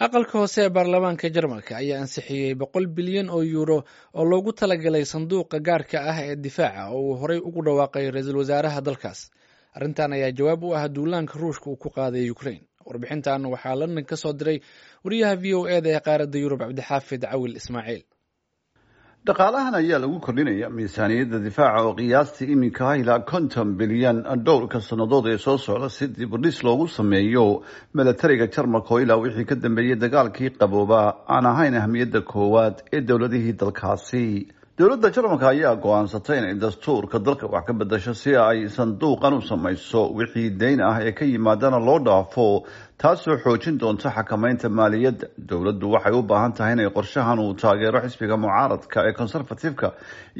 Aqalka hoose ee baarlamaanka Jarmalka ayaa ansixiyey 100 bilyan oo yuuro oo loogu talagalay sanduuqa gaarka ah ee difaaca oo uu horey ugu dhawaaqay ra-iisul wasaaraha dalkaas. Arrintan ayaa jawaab u ah duulaanka Ruushka uu ku qaaday Ukraine. Warbixintan waxaa London ka soo diray wariyaha VOA-da ee qaaradda Yurub, Cabdixaafid Cawil Ismaaciil. Dhaqaalahan ayaa lagu kordhinaya miisaaniyadda difaaca oo qiyaastii iminka ah ilaa 50 bilyan dhowrka sannadood ee soo socda, si dibudhis loogu sameeyo milatariga Jarmalka oo ilaa wixii ka dambeeyey dagaalkii qabooba aan ahayn ahmiyadda koowaad ee dowladihii dalkaasi. Dowladda Jarmalka ayaa go-aansatay inay dastuurka dalka wax ka bedasho si ay sanduuqan u samayso, wixii deyn ah ee ka yimaadana loo dhaafo, taasoo xoojin doonta xakameynta maaliyadda. Dowladdu waxay u baahan tahay inay qorshahan uu taageero xisbiga mucaaradka ee Conservative-ka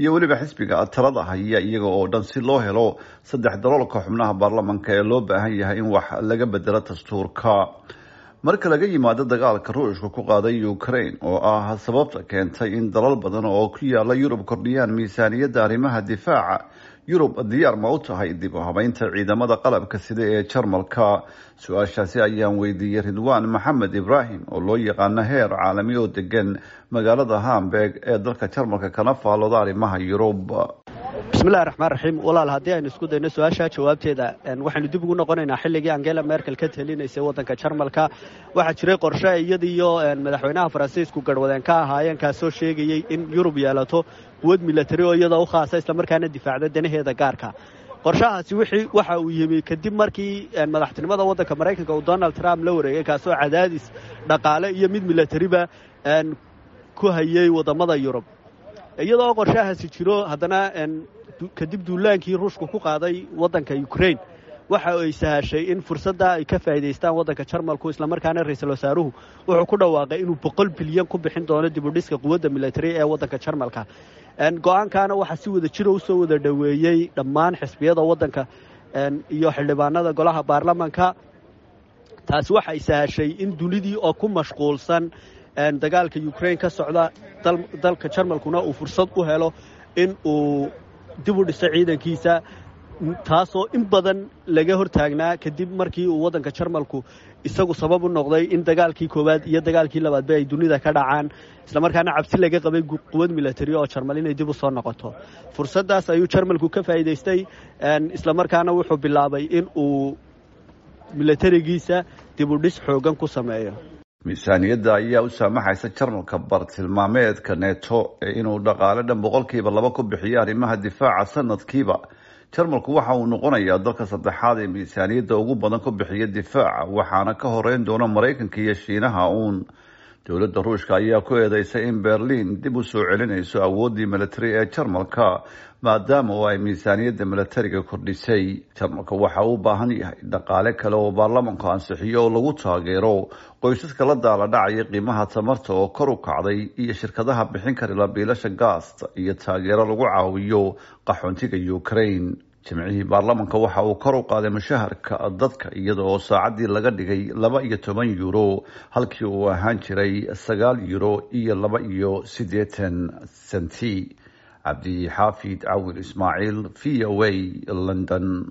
iyo weliba xisbiga talada haya iyaga oo dhan, si loo helo saddex daloolka xubnaha baarlamanka ee loo baahan yahay in wax laga bedelo dastuurka. Marka laga yimaado dagaalka Ruushka ku qaaday Ukraine oo ah sababta keentay in dalal badan oo ku yaala Yurub kordhiyaan miisaaniyadda arrimaha difaaca, Yurub diyaar ma u tahay dib u habeynta ciidamada qalabka sida ee Jarmalka? Su-aashaasi ayaan weydiiyey Ridwaan Maxamed Ibraahim oo loo yaqaano Heer Caalami oo degan magaalada Hamburg ee dalka Jarmalka, kana faalooda arrimaha Yurub. Bismillahi raxmaan raxiim. Walaal, haddii aynu isku dayno su-aashaa jawaabteeda, waxaynu dib ugu noqonaynaa xilligii Angela Merkel ka talinaysay waddanka Jarmalka. Waxaa jiray qorshe iyadiyo madaxweynaha Faransiisku garhwadeen ka ahaayeen, kaasoo sheegayey in Yurub yeelato quwad milatari oo iyada u khaasa, islamarkaana difaacda danaheeda gaarka. Qorshahaasi wixii waxa uu yimi kadib markii madaxtinimada waddanka Maraykanka uu Donald Trump la wareegay, kaasoo cadaadis dhaqaale iyo mid milatariba ku hayey waddamada Yurub. Iyadoo qorshahaasi jiro, haddana kadib duulaankii Ruushku ku qaaday waddanka Ukraine, waxa ay sahashay in fursadda ay ka faa'iidaystaan waddanka Jarmalku, islamarkaana ra-iisul wasaaruhu wuxuu ku dhawaaqay inuu 100 bilyan ku bixin doono dib u dhiska quwadda milatari ee waddanka Jarmalka. Go-aankaana waxaa si wada jiro usoo wada dhoweeyey dhammaan xisbiyada waddanka iyo xildhibaanada golaha baarlamanka. Taasi waxay sahashay in dunidii oo ku mashquulsan dagaalka Ukraine ka socda, dalka Jarmalkuna uu fursad u helo in uu dib u dhiso ciidankiisa, taasoo in badan laga hortaagnaa kadib markii uu waddanka Jarmalku isagu sabab u noqday in dagaalkii koowaad iyo dagaalkii labaadba ay dunida ka dhacaan, islamarkaana cabsi laga qabay quwad milatari oo Jarmal inay dib u soo noqoto. Fursaddaas ayuu Jarmalku ka faa'iidaystay, islamarkaana wuxuu bilaabay in uu milatarigiisa dib u dhis xoogan ku sameeyo. Miisaaniyadda ayaa u saamaxaysa Jarmalka bartilmaameedka NATO ee inuu dhaqaale dhan 2% ku bixiyo arrimaha difaaca sanadkiiba. Jarmalku waxa uu noqonayaa dalka saddexaad ee miisaaniyadda ugu badan ku bixiya difaaca, waxaana ka horeyn doona Maraykanka iyo Shiinaha uun. Dowladda Ruushka ayaa ku eedeysay in Berliin dib u soo celinayso awooddii milatari ee Jarmalka, maadaama oo ay miisaaniyadda milatariga kordhisay. Jarmalka waxa uu u baahan yahay dhaqaale kale oo baarlamanku ansixiyo oo lagu taageero qoysaska la daala dhacaya qiimaha tamarta oo kor u kacday iyo shirkadaha bixin kara biilasha gaasta iyo taageero lagu caawiyo qaxoontiga Ukraine. Jimcihii baarlamanka waxa uu kor u qaaday mushaharka dadka, iyada oo saacaddii laga dhigay 12 euro halkii uu ahaan jiray 9 euro iyo 82 senti. Cabdi Xaafid Cawil Ismaaciil, VOA, London.